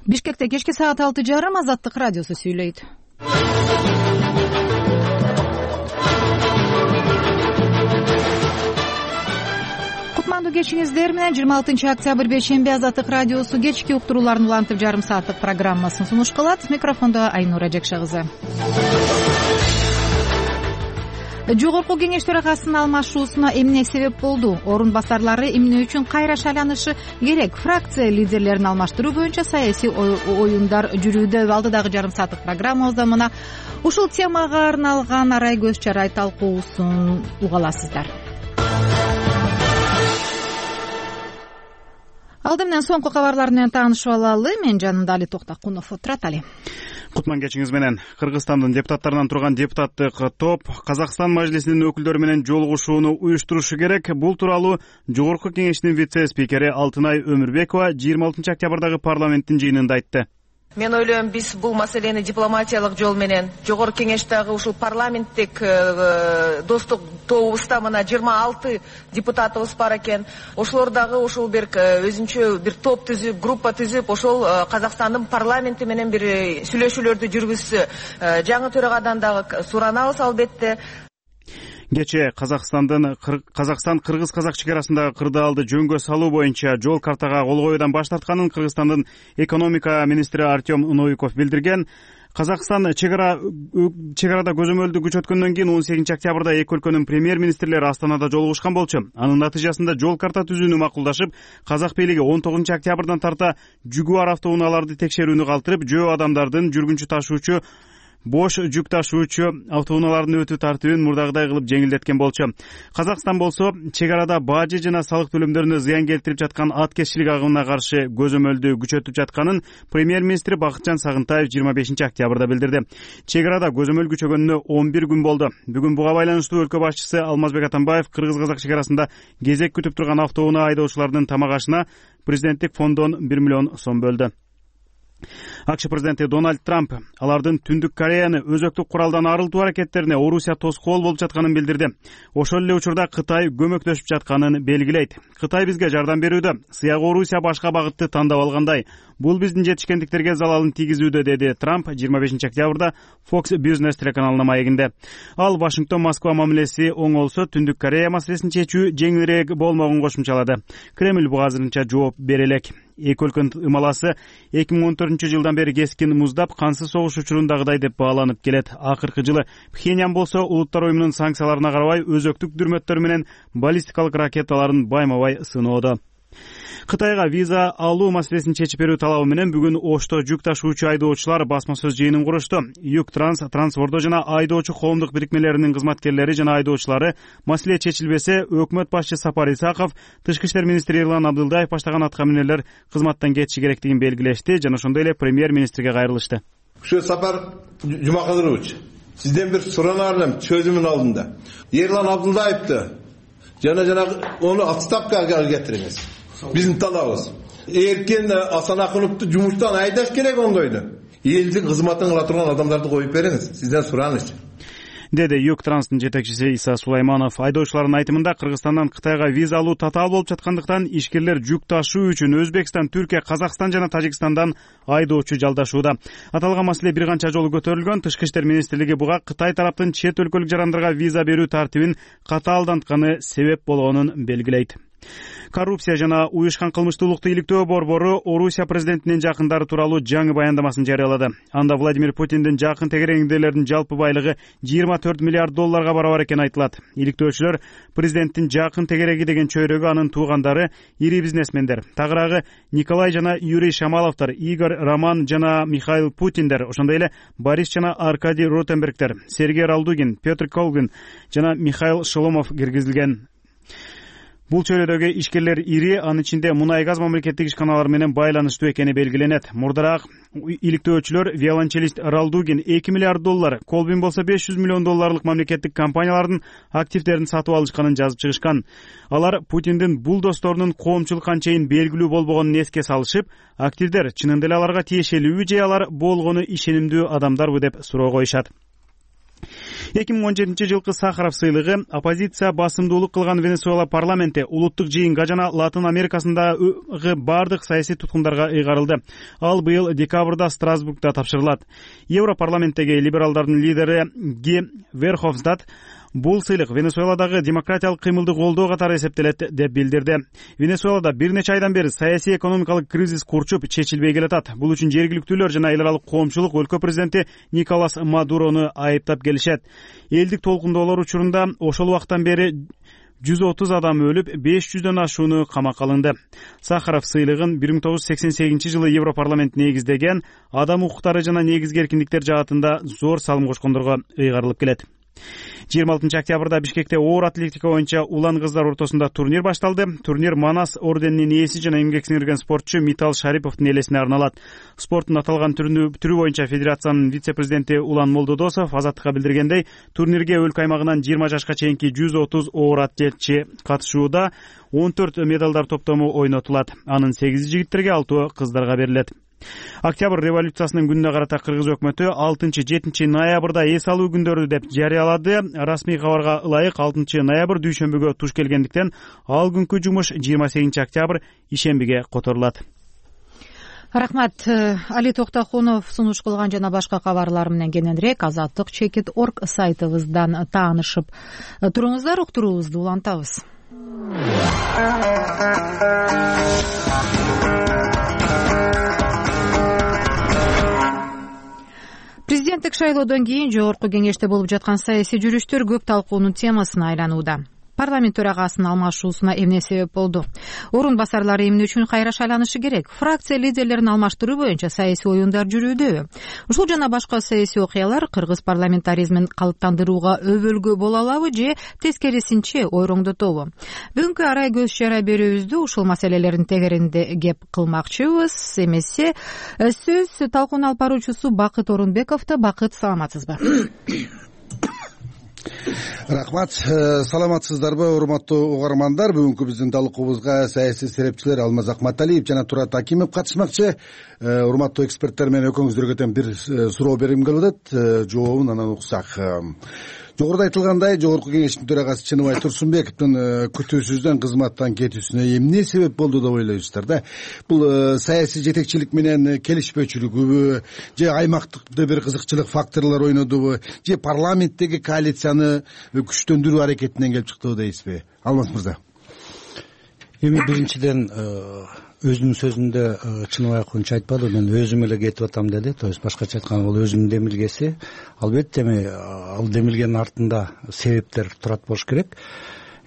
Бишкекте кечки саат 6:30 Азаттык радиосу сүйлөйт. Кутмандуу кечиңиздер менен 26 октябрь бейшемби Азаттык радиосу кечки уктурууларын улантып жарым сааттык программасын сунуш кылат. Микрофондо Айнура Жекше кызы. Жогорку кеңеш төрагасынын алмашуусуна эмне себеп болду? Орун басарлары эмне үчүн кайра шайланышы керек? Фракция лидерлерин алмаштыруу боюнча саясий оюндар жүрүүдө. Алдыдагы жарым сааттык программабызда мына ушул темага арналган арай көз чарай талкуусун уга аласыздар. Алды менен соңку кабарлар менен таанышып алалы. Мен жанымда Али Токтакунов отурат. Али. Кутман кечиңиз менен. Кыргызстандын депутаттарынан турган депутаттык топ Казакстан мажлисинин өкүлдөрү менен жолугушууну уюштурушу керек. Бул тууралуу Жогорку кеңештин вице-спикери Алтынай Өмүрбекова 26 октябрдагы парламенттин жыйынында айтты. Мен ойлойм, биз бул маселени дипломатиялык жол менен Жогорку кеңештеги ушул парламенттик достук тобубузда мына 26 депутатыбыз бар экен. Ошолор дагы ушул бир өзүнчө бир топ түзүп, группа түзүп, ошол Казакстандын парламенти менен бир сүйлөшүүлөрдү жүргүзсө, жаңы төрагадан дагы суранабыз албетте. Кечээ Казакстан-Кыргыз-Казак чекарасындагы кырдаалды жөнгө салуу боюнча жол картага кол коюудан баш тартканын Кыргызстандын экономика министри Артем Новиков билдирген. Казакстан чегарада көзөмөлдү күчөткөндөн кийин 18 октябрда эки өлкөнүн премьер-министрлери Астанада жолугушкан болчу. Анын натыйжасында жол карта түзүүнү макулдашып, Казак бийлиги 19 октябрдан тарта жүк бар автоунааларды текшерүүнү калтырып, жөө адамдардын жүргүнчү ташуучу бош жүк ташуучу автоунаалардын өтүү тартибин мурдагыдай кылып жеңилдеткен болчу. Казакстан болсо чегарада бажы жана салык төлөмдөрүнө зыян келтирип жаткан аткезчилик агымына каршы көзөмөлдү күчөтүп жатканын премьер-министри Бакытжан Сагынтаев 25 октябрда билдирди. Чегарада көзөмөл күчөгөнүнө 11 күн болду. Бүгүн буга байланыштуу өлкө башчысы Алмазбек Атамбаев Кыргыз-Казак чегарасында кезек күтүп турган автоунаа айдоочулардын тамак ашына президенттик фонддон 1 миллион сом бөлдү. АКШ президенти Дональд Трамп алардын Түндүк Кореяны өзөктүк куралдан арылтуу аракеттерине Орусия тоскоол болуп жатканын билдирди. Ошол эле учурда Кытай көмөктөшүп жатканын белгилейт. Кытай бизге жардам берүүдө, сыягы Орусия башка багытты тандап алгандай. Бул биздин жетишкендиктерге залалын тийгизүүдө, деди Трамп 25 октябрда Fox Business телеканалына маегинде. Ал Вашингтон-Москва мамилеси оңолсо Түндүк Корея маселесин чечүү жеңилирээк болмогун кошумчалады. Кремль буга азырынча жооп бере элек. Эки өлкөнүн ымаласы 2014-жылдан бери кескин муздап, кансыз согуш учурундагыдай деп бааланып келет. Акыркы жылы Пхеньян болсо Улуттар уюмунун санкцияларына карабай өзөктүк дүрмөттөр менен баллистикалык ракеталарын байма-бай сыноодо. Кытайга виза алуу маселесин чечип берүү талабы менен бүгүн Ошто жүк ташуучу айдоочулар басма сөз жыйынын курушту. Юктранс, Трансвордо жана айдоочу коомдук бирикмелеринин кызматкерлери жана айдоочулары маселе чечилбесе, өкмөт башчы Сапар Исаков, Тышкы иштер министри Эрлан Абдылдаев баштаган атка минерлер кызматтан кетиши керектигин белгилешти жана ошондой эле премьер-министрге кайрылышты. Ушу Сапар Жумакадырович, сизден бир суранар элем чөзүмүн алдында. Эрлан Абдылдаевди жана ону отставкага кетириңиз. Биздин талабыбыз. Эркен Асанакуновду жумуштан айдаш керек ондойду. Элдин кызматын кыла турган адамдарды коюп бериңиз. Сизден сураныч. Деди Юктранстын жетекчиси Иса Сулайманов. Айдоочулардын айтымында Кыргызстандан Кытайга виза алуу татаал болуп жаткандыктан ишкерлер жүк ташуу үчүн Өзбекстан, Түркия, Казакстан жана Тажикстандан айдоочу жалдашууда. Аталган маселе бир канча жолу көтөрүлгөн. Тышкы иштер министрлиги буга Кытай тараптын чет өлкөлүк жарандарга виза берүү тартибин катаалдантканы себеп болгонун белгилейт. Коррупция жана уюшкан кылмыштуулукту иликтөө борбору Орусия президентинин жакындары тууралуу жаңы баяндамасын жарыялады. Анда Владимир Путиндин жакын тегереңдүүлөрүнүн жалпы байлыгы 24 миллиард долларга барабар экени айтылат. Иликтөөчүлөр президенттин жакын тегереги деген чөйрөгө анын туугандары, ири бизнесмендер, тагыраагы Николай жана Юрий Шамаловдор, Игорь Роман жана Михаил Путиндер, ошондой эле Борис жана Аркадий Ротенбергдер, Сергей Ралдугин, Петр Колгин жана Михаил Шоломов киргизилген. Бул чөйрөдөгү ишкерлер ири, анын ичинде мунай-газ мамлекеттик ишканалары менен байланыштуу экени белгиленет. Мурдараак иликтөөчүлөр виолончелист Ралдугин 2 миллиард доллар, Колбин болсо 500 миллион долларлык мамлекеттик компаниялардын активдерин сатып алышканын жазып чыгышкан. Алар Путиндин бул досторунун коомчулук анчейин белгилүү болбогонун эске салышып, активдер чынында эле аларга тиешелүүбү же алар болгону ишенимдүү адамдарбы деп суроо коюшат. 2017-жылкы Сахаров сыйлыгы оппозиция басымдуулук кылган Венесуэла парламенти улуттук жыйынга жана Латын Америкасындагы бардык саясий туткундарга ыйгарылды. Ал быйыл декабрда Страсбургда тапшырылат. Европарламенттеги либералдардын лидери Ги Верховстад бул сыйлык Венесуэладагы демократиялык кыймылды колдоо катары эсептелет деп билдирди. Венесуэлада бир нече айдан бери саясий экономикалык кризис курчуп чечилбей келатат. Бул үчүн жергиликтүүлөр жана эл аралык коомчулук өлкө президенти Николас Мадурону айыптап келишет. Элдик толкундоолор учурунда ошол убактан бери 130 адам өлүп, 500дөн ашууну камакка алынды. Сахаров сыйлыгын 1988-жылы Европарламент негиздеген, адам укуктары жана негизги эркиндиктер жаатында зор салым кошкондорго ыйгарылып келет. 26 октябрда Бишкекте оор атлетика боюнча улан кыздар ортосунда турнир башталды. Турнир Манас орденинин ээси жана эмгек сиңирген спортчу Митал Шариповдун элесине арналат. Спорттун аталган түрү боюнча федерациянын вице-президенти Улан Молдодосов Азаттыкка билдиргендей, турнирге өлкө аймагынан 20 жашка чейинки 130 оор атлетчи катышууда, 14 медалдар топтому ойнотулат. Анын 8 жигиттерге, 6 кыздарга берилет. Октябрь революциясынын күнүнө карата Кыргыз өкмөтү 6-7 ноябрда эс алуу күндөрү деп жарыялады. Расмий кабарга ылайык 6 ноябрь дүйшөмбүгө туш келгендиктен ал күнкү жумуш 28 октябрь ишембиге которулат. Рахмат. Али Токтохунов сунуш кылган жана башка кабарлар менен кененирээк azatlyk.org сайтыбыздан таанышып туруңуздар, уктуруубузду улантабыз. Президенттик шайлоодон кийин жогорку кеңеште болуп жаткан саясий жүрүштөр көп талкуунун темасына айланууда. Парламент төрагасынын алмашуусуна эмне себеп болду? Орун басарлары эмне үчүн кайра шайланышы керек? Фракция лидерлерин алмаштыруу боюнча саясий оюндар жүрүүдө. Ушул жана башка саясий окуялар кыргыз парламентаризмин калыптандырууга өбөлгө боло алабы же тескерисинче ойроңдотобу? Бүгүнкү арай көз чара берүүбүздө ушул маселелердин тегерегинде кеп кылмакчыбыз. Эмесе сөз талкууну алып баруучусу Бакыт Орунбековдо. Бакыт, саламатсызбы? Рахмат, саламатсыздарбы урматтуу угармандар? Бүгүнкү биздин талкуубузга саясий серепчилер Алмаз Акматалиев жана Турат Акимов катышмакчы. Урматтуу эксперттер менен экөөңүздөргө тең бир суроо бергим келип атат. Жообун анан уксак. Жогоруда айтылгандай, жогорку кеңештин төрагасы Чыныбай Турсунбековдун күтүүсүздөн кызматтан кетүүсүнө эмне себеп болду деп ойлойсуздар да? Бул саясий жетекчилик менен келишпөөчүлүгүбү, же аймактыкта бир кызыкчылык факторлор ойнодубу, же парламенттеги коалицияны күчтөндүрүү аракетинен келип чыктыбы дейсизби? Алмаз мырза. Эми биринчиден өзүнүн сөзүндө Чыныбай Акунч айтпады, мен өзүм эле кетип атам деди. То есть башкача айтканда бул өзүнүн демилгеси. Албетте эми ал демилгенин артында себептер турат болуш керек.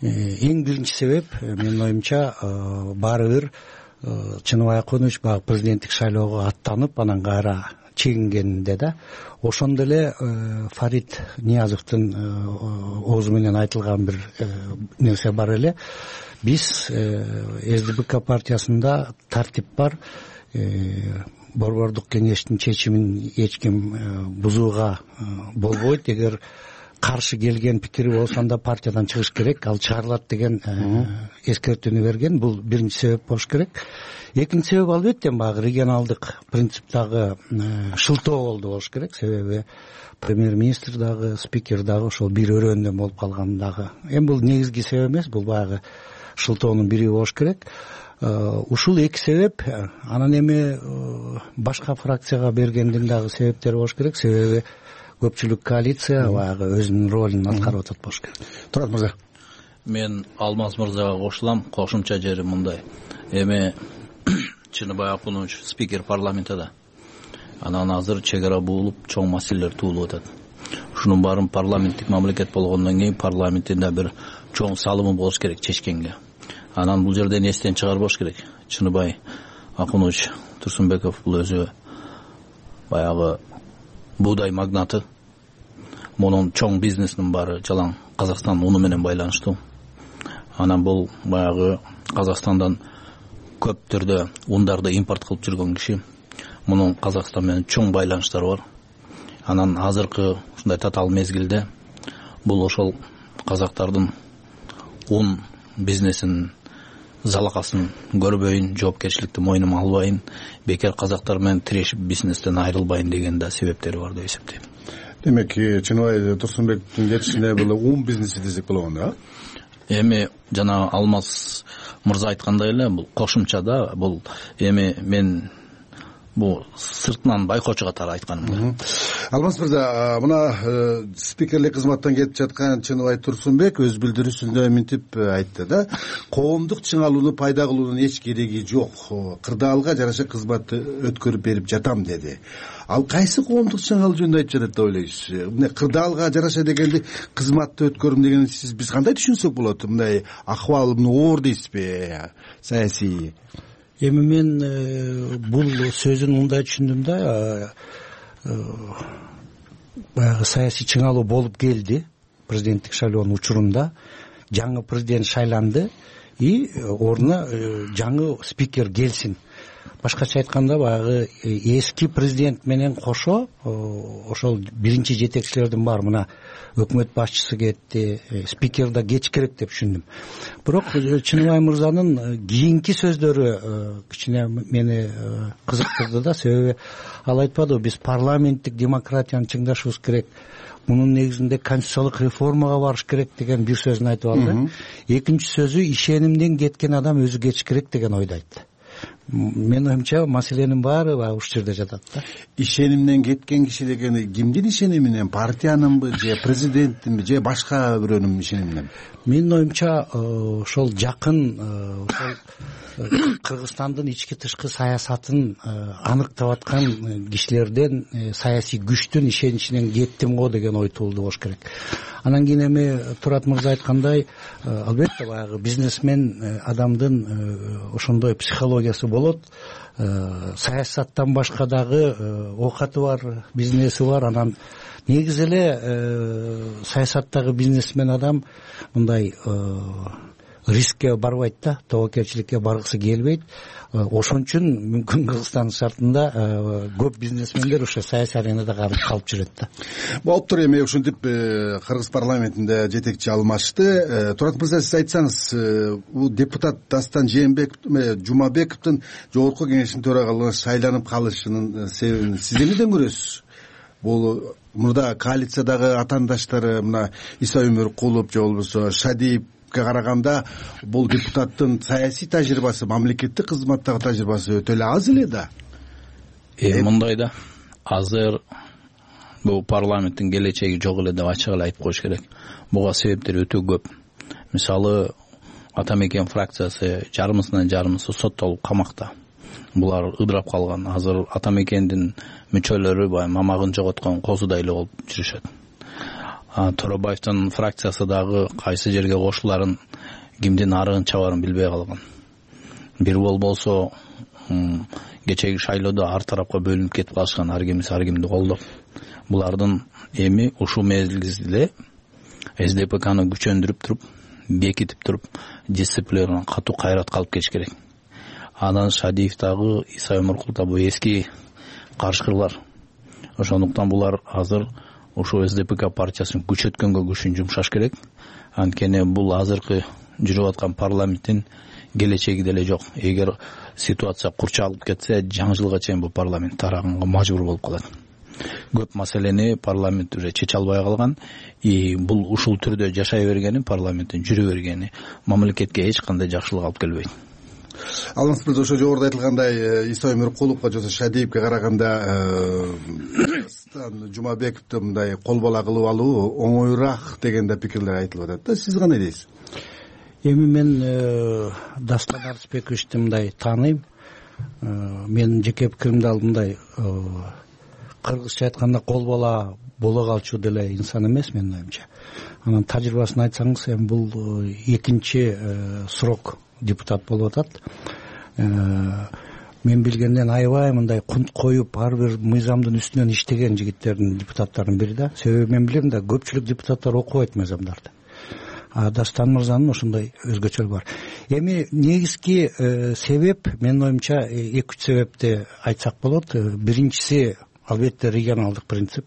Эң биринчи себеп, менин оюмча, баары бир Чыныбай Акунч баягы президенттик шайлоого аттанып, анан кайра чегингенинде да. Ошондо эле Фарид Ниязовдун оозу менен айтылган бир нерсе бар эле. Биз СДПК партиясында тартип бар, борбордук кеңештин чечимин эч ким бузууга болбойт. Эгер каршы келген пикири болсо анда партиядан чыгыш керек, ал чыгарылат деген эскертүүнү берген. Бул биринчи себеп болуш керек. Экинчи себеп албетте баягы регионалдык принциптагы шылтоо болду болуш керек. Себеби премьер-министр дагы, спикер дагы ошол бир өрөөндөн болуп калган дагы. Эми бул негизги себеп эмес, бул баягы шылтоонун бири болуш керек. Ушул эки себеп. Анан эми башка фракцияга бергендин дагы себептери болуш керек. Себеби көпчүлүк коалиция баягы өзүнүн ролун аткарып атат болуш керек. Турат мырза. Мен Алмаз мырзага кошулам. Кошумча жери мындай. Эми Чыныбай Акунч спикер парламентте. Анан азыр чек ара буулуп, чоң маселелер туулуп атат. Ушунун баарын парламенттик мамлекет болгондон кийин парламенттин бир чоң салымы болуш керек чечкенге. Анан бул жерден эстен чыгарбаш керек. Чыныбай Акунч Турсунбеков бул өзү баягы буудай магнаты. Мунун чоң бизнесинин баары жалаң Казакстан уну менен байланыштуу. Анан бул баягы Казакстандан көп түрдө ундарды импорт кылып жүргөн киши. Мунун Казакстан менен чоң байланыштары бар. Анан азыркы ушундай татаал мезгилде бул ошол казактардын ун бизнесин залакасын көрбөйүн, жоопкерчиликти мойнума албайын, бекер казактар менен тирешип бизнестен айрылбайын деген да себептери бар деп эсептейм. демек Чыныбай Турсунбековдун кетишине бул ум бизнеси десек болгону, а? Эми жана Алмаз мырза айткандай эле бул кошумча да, бул эми мен бул сыртынан байкоочу катары айтканым да. Алмаз мырза, мына спикерлик кызматтан кетип жаткан Чыныбай Турсунбек өз билдирүүсүндө мынтип айтты да, коомдук чыңалууну пайда кылуунун эч кереги жок, кырдаалга жараша кызматты өткөрүп берип жатам деди. Ал кайсы коомдук чыңалуу жөнүндө айтып жатат деп ойлойсуз? Мына кырдаалга жараша дегенди кызматты өткөрүм дегенди биз кандай түшүнсөк болот? Мындай акыбал оор дейсизби, саясий? Эми мен бул сөзүн мындай түшүндүм да, баягы саясий чыңалуу болуп келди президенттик шайлоонун учурунда, жаңы президент шайланды и ордуна жаңы спикер келсин. Башкача айтканда баягы эски президент менен кошо ошол биринчи жетекчилердин баары, мына өкмөт башчысы кетти, спикер да кетиш керек деп түшүндүм. Бирок Чыныбай мырзанын кийинки сөздөрү кичине мени кызыктырды да, себеби ал айтпады, биз парламенттик демократияны чыңдашыбыз керек, мунун негизинде конституциялык реформага барыш керек деген бир сөзүн айтып алды. Экинчи сөзү ишенимден кеткен адам өзү кетиш керек деген ойду айтты. Менин оюмча маселенин баары ушул жерде жатат да. Ишенимден кеткен киши дегени кимдин ишениминен? Партиянынбы же президенттинби же башка бирөөнүн ишениминен? Менин оюмча ошол жакын ошол Кыргызстандын ички тышкы саясатын аныктап аткан кишилерден, саясий күчтүн ишеничинен кеттим го деген ой туулду болуш керек. Анан кийин эми Турат мырза айткандай, албетте баягы бизнесмен адамдын ошондой психологиясы болот. Саясаттан башка дагы оокаты бар, бизнеси бар. Анан негизи эле саясаттагы бизнесмен адам мындай рискке барбайт да, тобокелчиликке баргысы келбейт. Ошон үчүн мүмкүн Кыргызстан шартында көп бизнесмендер ошо саясий аренада калып жүрөт да. Болуптур, эми ушинтип Кыргыз парламентинде жетекчи алмашты. Турат мырза, сиз айтсаңыз, бул депутат Дастан Жумабековдун жогорку кеңештин төрагалыгына шайланып калышынын себебин сиз эмнеден көрөсүз? Бул мурда коалициядагы атаандаштары, мына Иса Өмөркулов же болбосо Шадиев караганда бул депутаттын саясий тажрыйбасы, мамлекеттик кызматтагы тажрыйбасы өтө эле аз эле да. Мындай да, азыр бул парламенттин келечеги жок эле деп ачык эле айтып коюш керек. Буга себептер өтө көп. Мисалы, Ата Мекен фракциясы жарымысынан жарымысы соттолуп камакта. Булар ыдырап калган. Азыр Ата Мекендин мүчөлөрү баягы мамагын жоготкон козудай эле болуп жүрүшөт. Торобаевдин фракциясы дагы кайсы жерге кошуларын, кимдин арыгын чабарын билбей калган. Бир болсо кечеги шайлоодо ар тарапка бөлүнүп кетип калышкан, ар кимди колдоп. Булардын эми ушул мезгилде СДПКны күчөндүрүп туруп, бекитип туруп, дисциплинаны катуу кайрат калып кетиш керек. Анан Шадиев дагы, Иса Өмөркулов дагы эски карышкырлар. Ошондуктан булар азыр ошо СДПК партиясын күчөткөнгө күчүн жумшаш керек. Анткени бул азыркы жүрүп аткан парламенттин келечеги деле жок. Эгер ситуация курчалып кетсе, жаңы жылга чейин бул парламент тараганга мажбур болуп калат. Көп маселени парламент уже чече албай калган. Бул ушул түрдө жашай бергени, парламенттин жүрө бергени мамлекетке эч кандай жакшылык алып келбейт. Алмаз мырза, ошо жогоруда айтылгандай Иса Өмөркуловго же Шадиевке караганда Жумабековду мындай кол бала кылып алуу оңоюраак деген да пикирлер айтылып атат да. Сиз кандай дейсиз? Эми мен Дастан Арысбековичти мындай тааныйм. Менин жеке пикиримди ал мындай кыргызча айтканда кол бала боло калчу деле инсан эмес, менин оюмча. Анан тажрыйбасын айтсаңыз, эми бул экинчи срок депутат болуп атат. Мен билгенден аябай мындай кунт коюп, ар бир мыйзамдын үстүнөн иштеген жигиттердин, депутаттардын бири да. Себеби мен билем да, көпчүлүк депутаттар окубайт мыйзамдарды. Дастан мырзанын ошондой өзгөчөлүгү бар. Эми негизги себеп, менин оюмча, 2-3 себепти айтсак болот. Биринчиси албетте регионалдык принцип.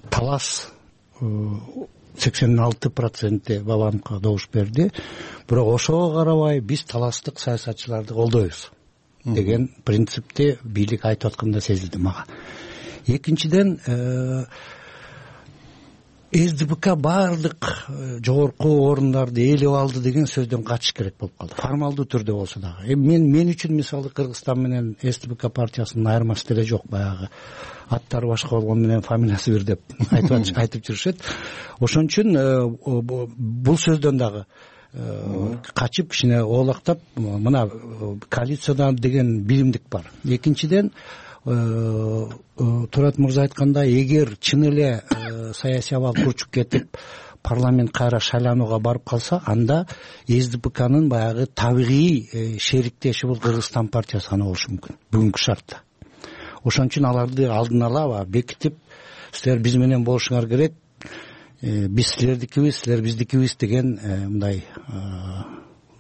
Талас 86% Бабановго добуш берди. Бирок ошого карабай биз таластык саясатчыларды колдойбуз деген принципти бийлик айтып атканда сезилди мага. Экинчиден СДПК баардык жогорку орундарды ээлеп алды деген сөздөн качыш керек болуп калды, формалдуу түрдө болсо дагы. Мен үчүн мисалы Кыргызстан менен СДПК партиясынын айырмасы деле жок. Баягы аттары башка болгону менен фамилиясы бир деп айтып жүрүшөт. Ошон үчүн бул сөздөн дагы качып кичине оолактап, мына коалициядан деген билимдик бар. Экинчиден Турат мырза айткандай, эгер чын эле саясий абал курчуп кетип парламент кайра шайланууга барып калса, анда СДПКнын баягы табигый шериктеши бул Кыргызстан партиясы гана болушу мүмкүн бүгүнкү шартта. Ошон үчүн аларды алдын ала бекитип, силер биз менен болушуңар керек, биз силердикибиз, силер биздикибиз деген мындай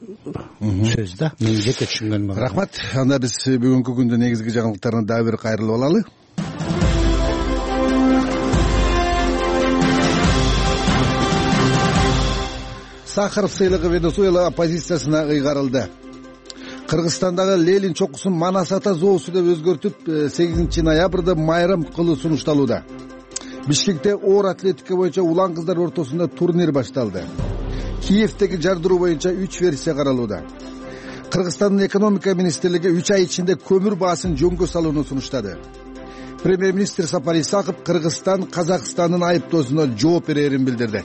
сөз да. Мен жеке түшүнгөнүм. Рахмат. Анда биз бүгүнкү күндүн негизги жаңылыктарына дагы бир кайрылып алалы. Сахаров сыйлыгы Венесуэла оппозициясына ыйгарылды. Кыргызстандагы Ленин чокусун Манас ата зоосу деп өзгөртүп 8 ноябрда майрам кылуу сунушталууда. Бишкекте оор атлетика боюнча улан кыздар ортосунда турнир башталды. Киевдеги жардыруу боюнча 3 версия каралууда. Кыргызстандын экономика министрлиги 3 ай ичинде көмүр баасын жөнгө салууну сунуштады. Премьер-министр Сапар Исаков Кыргызстан Казакстандын айыптоосуна жооп берерин билдирди.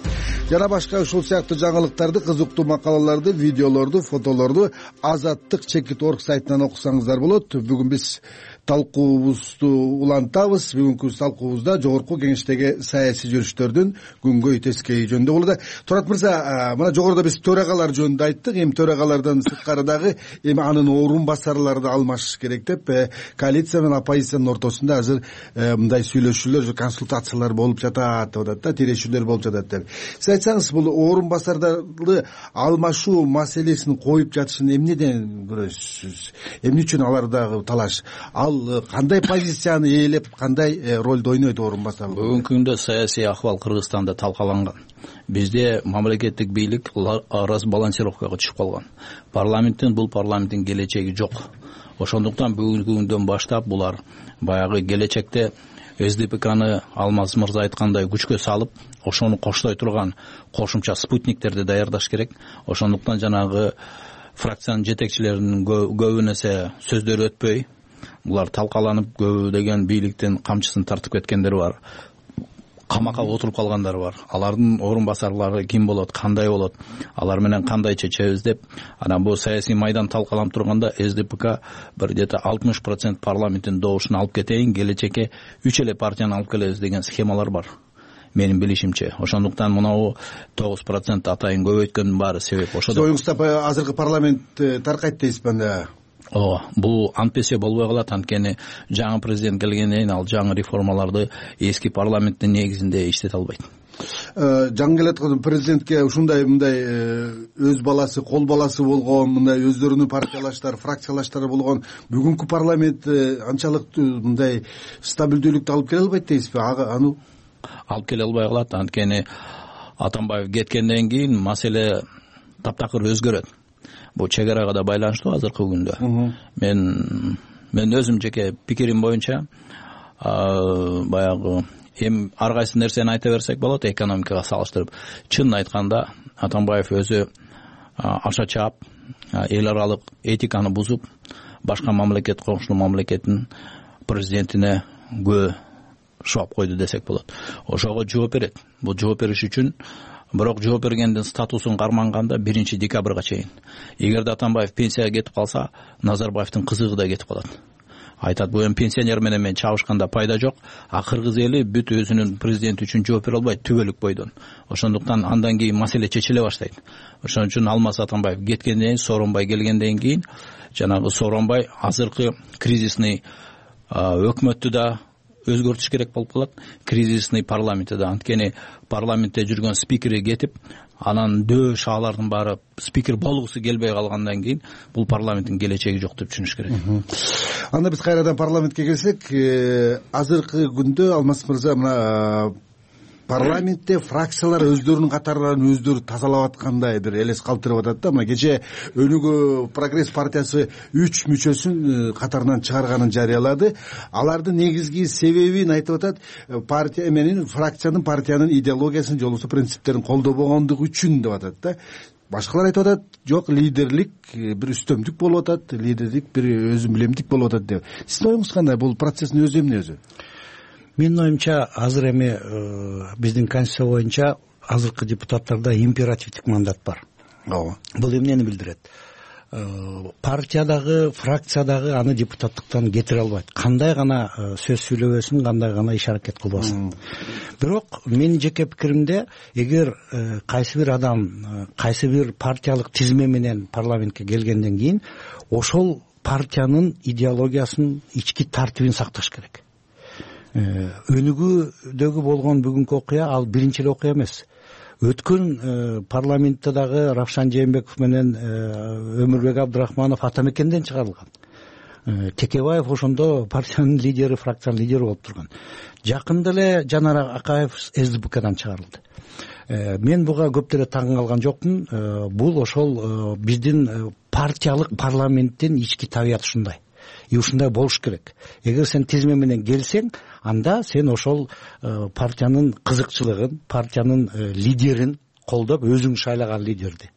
Жана башка ушул сыяктуу жаңылыктарды, кызыктуу макалаларды, видеолорду, фотолорду Азаттык.org сайтынан окусаңыздар болот. Бүгүн биз талкуубузду улантабыз. Бүгүнкү талкуубузда жогорку кеңештеги саясий жүрүштөрдүн күнгөй тескейи жөнүндө болду. Турат мырза, мына жогоруда биз төрагалар жөнүндө айттык. Эми төрагалардан сырткары дагы эми анын орун басарларды алмашыш керек деп коалиция менен оппозициянын ортосунда азыр мындай сүйлөшүүлөр, консультациялар болуп жатат деп атат да, тирешүүлөр болуп жатат деп. Сиз айтсаңыз, бул орун басарларды алмашуу маселесин коюп жатышын эмнеден көрөсүз? Эмне үчүн алардагы талаш? Ал кандай позицияны ээлеп, кандай ролду ойнойт орун басар? Бүгүнкү күндө саясий акыбал Кыргызстанда талкаланган. Бизде мамлекеттик бийлик разбалансировкага түшүп калган. Бул парламенттин келечеги жок. Ошондуктан бүгүнкү күндөн баштап булар баягы келечекте СДПКны Алмаз мырза айткандай күчкө салып, ошону коштой турган кошумча спутниктерди даярдаш керек. Ошондуктан жанагы фракциянын жетекчилеринин көбүн эсе сөздөрү өтпөй, булар талкаланып, көбү деген бийликтин камчысын тартып кеткендер бар. Камакка отуруп калгандар бар. Алардын орун басарлары ким болот, кандай болот, алар менен кандай чечебиз деп, анан бул саясий майдан талкаланып турганда СДПК бир где-то 60% парламенттин добушун алып кетейин, келечекке 3 эле партияны алып келебиз деген схемалар бар. Менин билишимче. Ошондуктан мынау 9% атайын көбөйткөндүн баары себеп ошодо. Оюңузда азыркы парламент таркайт дейсизби анда? Бул антпесе болбой калат, анткени жаңы президент келгенден кийин ал жаңы реформаларды эски парламенттин негизинде иштете албайт. Жаңы келаткан президентке ушундай мындай өз баласы, кол баласы болгон, мындай өздөрүнүн партиялаштары, фракциялаштары болгон бүгүнкү парламент анчалык мындай стабилдүүлүктү алып келе албайт дейсизби? Аны алып келе албай калат, анткени Атамбаев кеткенден кийин маселе таптакыр өзгөрөт. Бул чек арага да байланыштуу азыркы күндө. Мен өзүм жеке пикирим боюнча баягы эми ар кайсы нерсени айта берсек болот экономикага салыштырып. Чынын айтканда Атамбаев өзү аша чаап, эл аралык этиканы бузуп, башка мамлекет, коңшу мамлекеттин президентине шоп койду десек болот. Ошого жооп берет. Бул жооп бериш үчүн бирок жооп бергендин статусун карманганда 1 декабрга чейин. Эгерде Атамбаев пенсияга кетип калса, Назарбаевдин кызыгы да кетип калат. Айтат, бул эми пенсионер менен мен чабышканда пайда жок, а кыргыз эли бүт өзүнүн президенти үчүн жооп бере албайт түбөлүк бойдон. Ошондуктан андан кийин маселе чечиле баштайт. Ошон үчүн Алмаз Атамбаев кеткенден кийин, Сооронбай келгенден кийин, жанагы Сооронбай азыркы кризисный өкмөттү да өзгөртүш керек болуп калат, кризисный парламентти да. Анткени парламентте жүргөн спикери кетип, анан дөш алардын баары спикер болгусу келбей калгандан кийин бул парламенттин келечеги жок деп түшүнүш керек. Анда биз кайрадан парламентке келсек, азыркы күндө Алмаз мырза мына парламентте фракциялар өздөрүнүн катарларын өздөрү тазалап аткандай бир элес калтырып атат да. Мына кече Өнүгүү Прогресс партиясы 3 мүчөсүн катарынан чыгарганын жарыялады. Алардын негизги себебин айтып атат, партия менен фракциянын партиянын идеологиясын же болбосо принциптерин колдобогондугу үчүн деп атат да. Башкалар айтып атат, жок, лидерлик бир үстөмдүк болуп атат, лидерлик бир өзүн билемдик болуп атат деп. Сиздин оюңуз кандай? Бул процесстин өзү эмне өзү? Менин оюмча азыр эми биздин конституция боюнча азыркы депутаттарда императивдик мандат бар. Ооба. Бул эмнени билдирет? Партиядагы, фракциядагы аны депутаттыктан кетире албайт. Кандай гана сөз сүйлөбөсүн, кандай гана иш аракет кылбасын. Бирок менин жеке пикиримде, эгер кайсы бир адам кайсы бир партиялык тизме менен парламентке келгенден кийин ошол партиянын идеологиясын, ички тартибин сакташ керек. Өнүгүүдөгү болгон бүгүнкү окуя ал биринчи эле окуя эмес. Өткөн парламенттедагы Равшан Жээнбеков менен Өмүрбек Абдрахманов Атамекенден чыгарылган. Текебаев ошондо партиянын лидери, фракциянын лидери болуп турган. Жакында эле Жанар Акаев СДПКдан чыгарылды. Мен буга көп деле таң калган жокмун. Бул ошол биздин партиялык парламенттин ички табияты ушундай. И ушундай болуш керек. Эгер сен тизме менен келсең, анда сен ошол партиянын кызыкчылыгын, партиянын лидерин колдоп, өзүң шайлаган лидерди.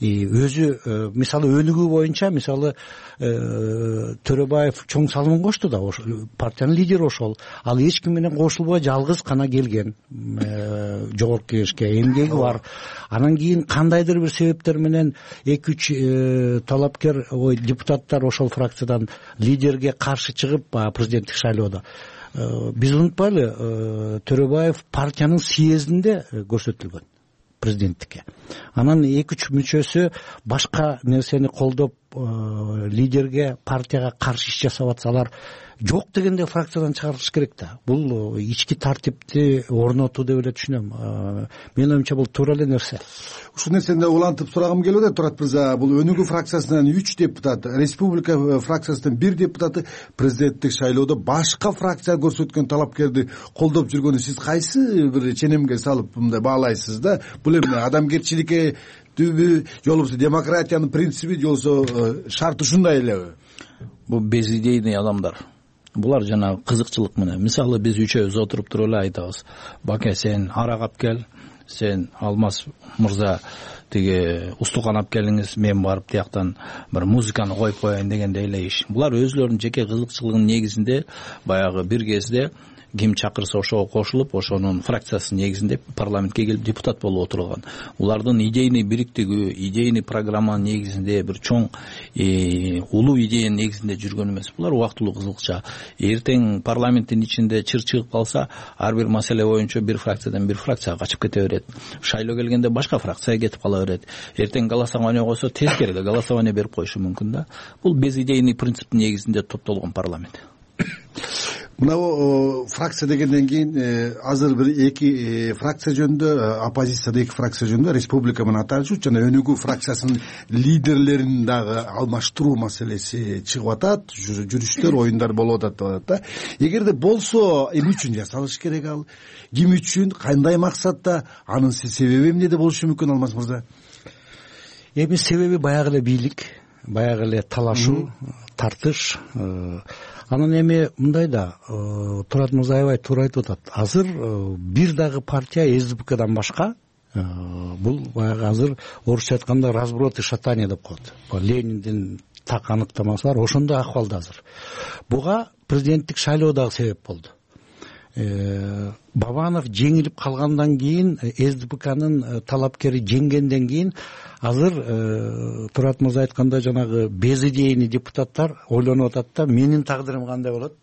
Өзү мисалы өнүгүү боюнча, мисалы Төрөбаев чоң салымын кошту да, партиянын лидери ошол. Ал эч ким менен кошулбой жалгыз гана келген жогорку кеңешке, эмгеги бар. Анан кийин кандайдыр бир себептер менен 2-3 талапкер депутаттар ошол фракциядан лидерге каршы чыгып, президенттик шайлоодо биз унутпайлы, Төрөбаев партиянын съездинде көрсөтүлгөн президенттикке. Анан 2-3 мүчөсү башка нерсени колдоп лидерге, партияга каршы иш жасап атсалар, жок дегенде фракциядан чыгарылыш керек да. Бул ички тартипти орнотуу деп эле түшүнөм. Менин оюмча бул туура эле нерсе. Ушул нерсени улантып сурагым келип атат, Турат мырза. Бул Өнүгүү фракциясынан 3 депутат, Республика фракциясынан 1 депутаты президенттик шайлоодо башка фракция көрсөткөн талапкерди колдоп жүргөнү сиз кайсы бир ченемге салып мындай баалайсыз да? Бул эмне, адамгерчиликке түбү, же болбосо демократиянын принциби, же болбосо шарты ушундай элеби? Бул безидейный адамдар. Булар жана кызыкчылык менен. Мисалы биз үчөөбүз отуруп туруп эле айтабыз. Баке, сен арак алып кел, сен Алмаз мырза тиги устукан алып келиңиз, мен барып тияктан бир музыканы коюп коеюн дегендей эле иш. Булар өзлөрүнүн жеке кызыкчылыгынын негизинде баягы бир кезде ким чакырса ошого кошулуп, ошонун фракциясынын негизинде парламентке келип депутат болуп отурган. Улардын идейный бириктиги, идейный программанын негизинде бир чоң улуу идеянын негизинде жүргөн эмес. Булар убактылуу кызыкча. Эртең парламенттин ичинде чыр чыгып калса, ар бир маселе боюнча бир фракциядан бир фракцияга качып кете берет. Шайлоо келгенде башка фракцияга кетип кала берет. Эртең голосование койсо, тескерде голосование берип коюшу мүмкүн да. Бул безидейный принциптин негизинде топтолгон парламент. Мына фракция дегенден кийин азыр бир 2 фракция жөнүндө, оппозицияда 2 фракция жөнүндө Республика менен Аталыш жана Өнүгүү фракциясынын лидерлерин дагы алмаштыруу маселеси чыгып атат, жүрүштөр, оюндар болуп атат деп атат да. Эгерде болсо, эмне үчүн жасалыш керек ал? Ким үчүн, кандай максатта? Анын себеби эмнеде болушу мүмкүн, Алмаз мырза? Эми себеби баягы эле бийлик, баягы эле талашуу, тартыш. Анан эми мындай да, Турат мырза аябай туура айтып атат. Азыр бир дагы партия СДПКдан башка, бул баягы азыр орусча айтканда разброд и шатание деп коет. Лениндин так аныктамасы бар, ошондой акыбалда азыр. Буга президенттик шайлоо дагы себеп болду. Бабанов жеңилип калгандан кийин, СДПКнын талапкери жеңгенден кийин азыр Турат мырза айткандай жанагы безидейный депутаттар ойлонуп атат да, менин тагдырым кандай болот,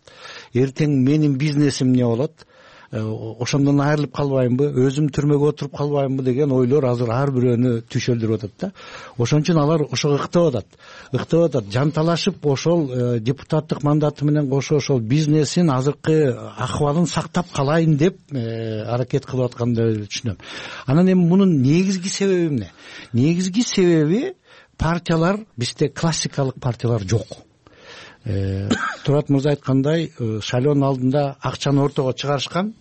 эртең менин бизнесим эмне болот, ошондон айрылып калбаймбы, өзүм түрмөгө отуруп калбаймбы деген ойлор азыр ар бирөөнү түшөлдүрүп атат да. Ошон үчүн алар ошого ыктап атат, жанталашып ошол депутаттык мандаты менен кошо ошол бизнесин азыркы акыбалын сактап калайын деп аракет кылып атканды түшүнөм. Анан эми мунун негизги себеби эмне? Негизги себеби партиялар, бизде классикалык партиялар жок. Турат мырза айткандай, шайлоонун алдында акчаны ортого чыгарышкан,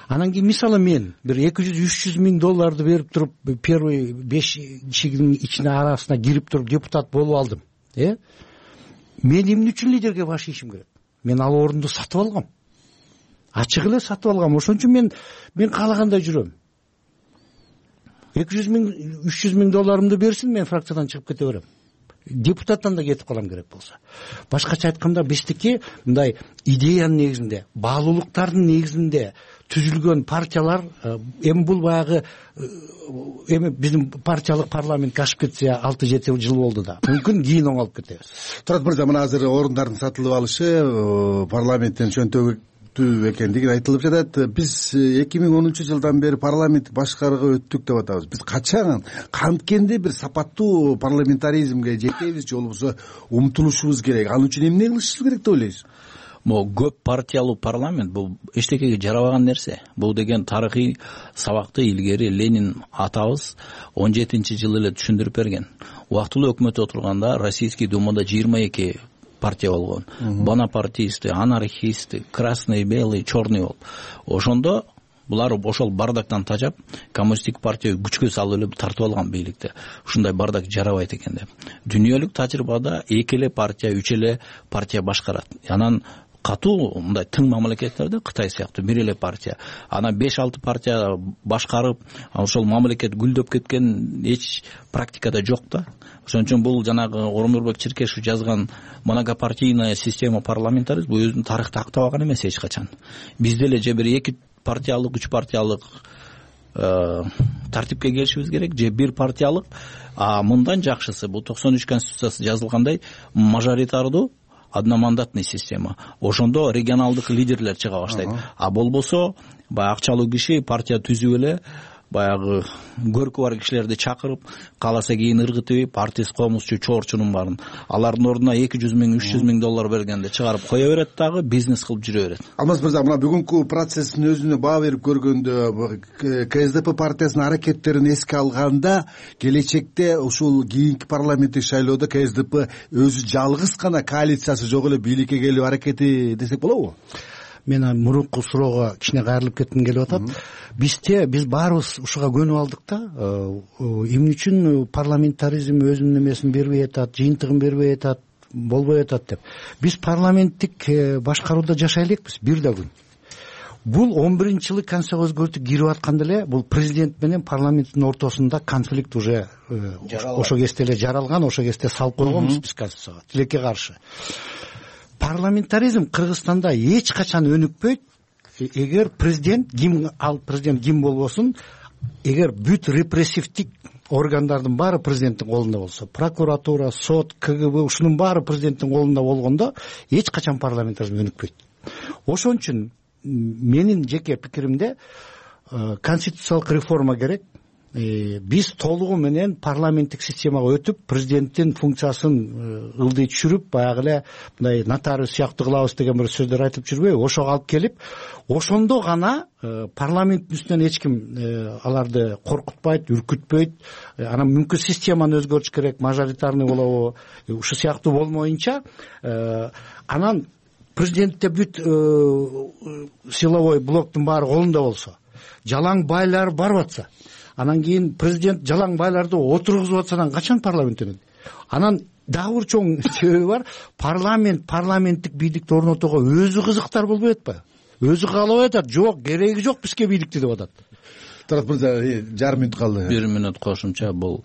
Анан кийин мисалы мен бир 200-300 миң долларды берип туруп первый 5 кишинин ичине арасына кирип туруп депутат болуп алдым. Мен эмне үчүн лидерге баш ийишим керек? Мен ал орунду сатып алгам. Ачык эле сатып алгам. Ошон үчүн мен каалагандай жүрөм. 200 миң, 300 миң долларымды берсин, мен фракциядан чыгып кете берем. Депутаттан да кетип калам керек болсо. Башкача айтканда биздики мындай идеянын негизинде, баалуулуктардын негизинде түзүлгөн партиялар, эми бул баягы эми биздин партиялык парламентке ашып кетсе 6-7 жыл болду да. Мүмкүн кийин оңолуп кетебиз. Турат мырза, мына азыр орундардын сатылып алышы парламенттен чөнтөгү экендиги айтылып жатат. Биз 2010 жылдан бери парламент башкарууга өттүк деп атабыз. Биз качан канткенде бир сапаттуу парламентаризмге жетебиз же болбосо умтулушубуз керек? Ал үчүн эмне кылышыбыз керек деп ойлойсуз? Могу көп партиялуу парламент бул эчтекеге жарабаган нерсе. Бул деген тарыхый сабакты илгери Ленин атабыз 17-жылы эле түшүндүрүп берген. Убактылуу өкмөт отурганда Российский думада 22 партия болгон. Бонапартисты, анархисты, красный, белый, черный болуп. Ошондо булар ошол бардактан тажап, коммунисттик партия күчкө салып эле тартып алган бийликти. Ушундай бардак жарабайт экен деп. Дүйнөлүк тажрыйбада 2 эле партия, 3 эле партия башкарат. Анан катуу мындай тың мамлекеттерде Кытай сыяктуу 1 эле партия, ана 5-6 партия башкарып, ошол мамлекет гүлдөп кеткен эч практикада жок да. Ошон үчүн бул жанагы Орунбек Черкешев жазган многопартийная система парламентаризм бул өзүнүн тарыхта актабаган эмес эч качан. Бизде эле же бир 2 партиялык, 3 партиялык тартипке келишибиз керек, же 1 партиялык. Мындан жакшысы бул 93 конституциясы жазылгандай мажоритардуу одномандатный система. Ошондо регионалдык лидерлер чыга баштайт. Болбосо баягы акчалуу киши партия түзүп эле баягы көркү бар кишилерди чакырып, кааласа кийин ыргытып, партист, комузчу, чоорчунун баарын алардын ордуна 200 миң, 300 миң доллар бергенде чыгарып кое берет дагы, бизнес кылып жүрө берет. Алмаз мырза, мына бүгүнкү процесстин өзүнө баа берип көргөндө КСДП партиясынын аракеттерин эске алганда, келечекте ушул кийинки парламенттик шайлоодо КСДП өзү жалгыз гана коалициясы жок эле бийликке келүү аракети десек болобу? Мен мурунку суроого кичине кайрылып кетким келип атат. Биз баарыбыз ушуга көнүп алдык да. Эмне үчүн парламентаризм өзүнүн эмесин бербей атат, жыйынтыгын бербей атат, болбой атат деп. Биз парламенттик башкарууда жашай элекпиз бир да күн. Бул 11-жылы конституцияга өзгөртүү кирип атканда эле бул президент менен парламенттин ортосунда конфликт уже ошо кезде эле жаралган, ошо кезде салып койгонбуз биз конституцияга тилекке каршы. Парламентаризм Кыргызстанда эч качан өнүкпөйт. Эгер президент ким болбосун, эгер бүт репрессивдик органдардын баары президенттин колунда болсо, прокуратура, сот, КГБ ушунун баары президенттин колунда болгондо эч качан парламентаризм өнүкпөйт. Ошон үчүн менин жеке пикиримде конституциялык реформа керек. Биз толугу менен парламенттик системага өтүп, президенттин функциясын ылдый түшүрүп, баягы эле мындай нотариус сыяктуу кылабыз деген бир сөздөр айтып жүрбөйбү? Ошого алып келип, ошондо гана парламенттин үстүнөн эч ким аларды коркутпайт, үркүтпөйт. Анан мүмкүн системаны өзгөртүш керек, мажоритарный болобу, ушу сыяктуу болмоюнча, анан президентте бүт силовой блоктун баары колунда болсо, жалаң байлар барып атса, анан кийин президент жалаң байларды отургузуп атса, анан качан парламент өнөт? Анан дагы бир чоң себеби бар. Парламенттик бийликти орнотууга өзү кызыктар болбой атпайбы? Өзү каалабай атат, жок, кереги жок бизге бийликти деп атат. Тарат мырза, жарым мүнөт калды. 1 мүнөт кошумча. Бул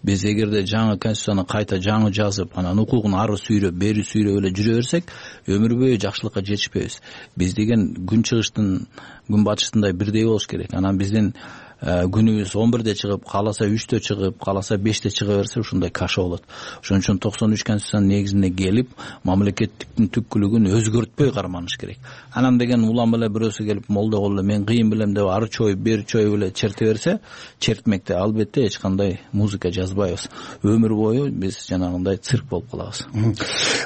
биз эгерде жаңы конституцияны кайта жаңы жазып, анан укугун ары сүйрөп, бери сүйрөп эле жүрө берсек, өмүр бою жакшылыкка жетишпейбиз. Биз деген күн чыгыштын, күн батыштындай бирдей болуш керек. Анан биздин күнүбүз 11-де чыгып, кааласа 3-тө чыгып, кааласа 5-те чыга берсе, ушундай каша болот. Ошон үчүн 93 конституциянын негизине келип, мамлекеттиктин түпкүлүгүн өзгөртпөй карманыш керек. Анан деген улам эле бирөөсү келип, молдо кылып эле мен кыйын билем деп ары чоюп, бери чоюп эле черте берсе, чертмекте албетте эч кандай музыка жазбайбыз. Өмүр бою биз жанагындай цирк болуп калабыз.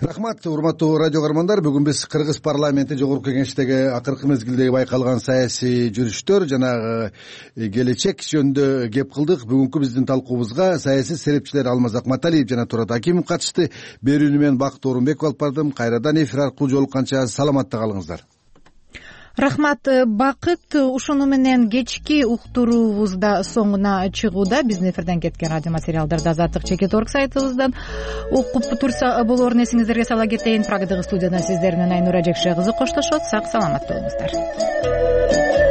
Рахмат, урматтуу радио көрөрмандар. Бүгүн биз Кыргыз парламенти жогорку кеңештеги акыркы мезгилдеги байкалган саясий жүрүштөр жана келечек жөнүндө кеп кылдык. Бүгүнкү биздин талкуубузга саясий серепчилер Алмаз Акматалиев жана Турат Акимов катышты. Берүүнү мен Бакыт Орунбеков алып бардым. Кайрадан эфир аркылуу жолукканча саламатта калыңыздар. Рахмат, Бакыт. Ушуну менен кечки уктуруубуз да соңуна чыгууда. Биздин эфирден кеткен радио материалдарды Азаттык чекит.org сайтыбыздан окуп турса болоорун эсиңиздерге сала кетейин. Прагадагы студияда сиздер менен Айнура Жекше кызы коштошот. Сак саламатта болуңуздар.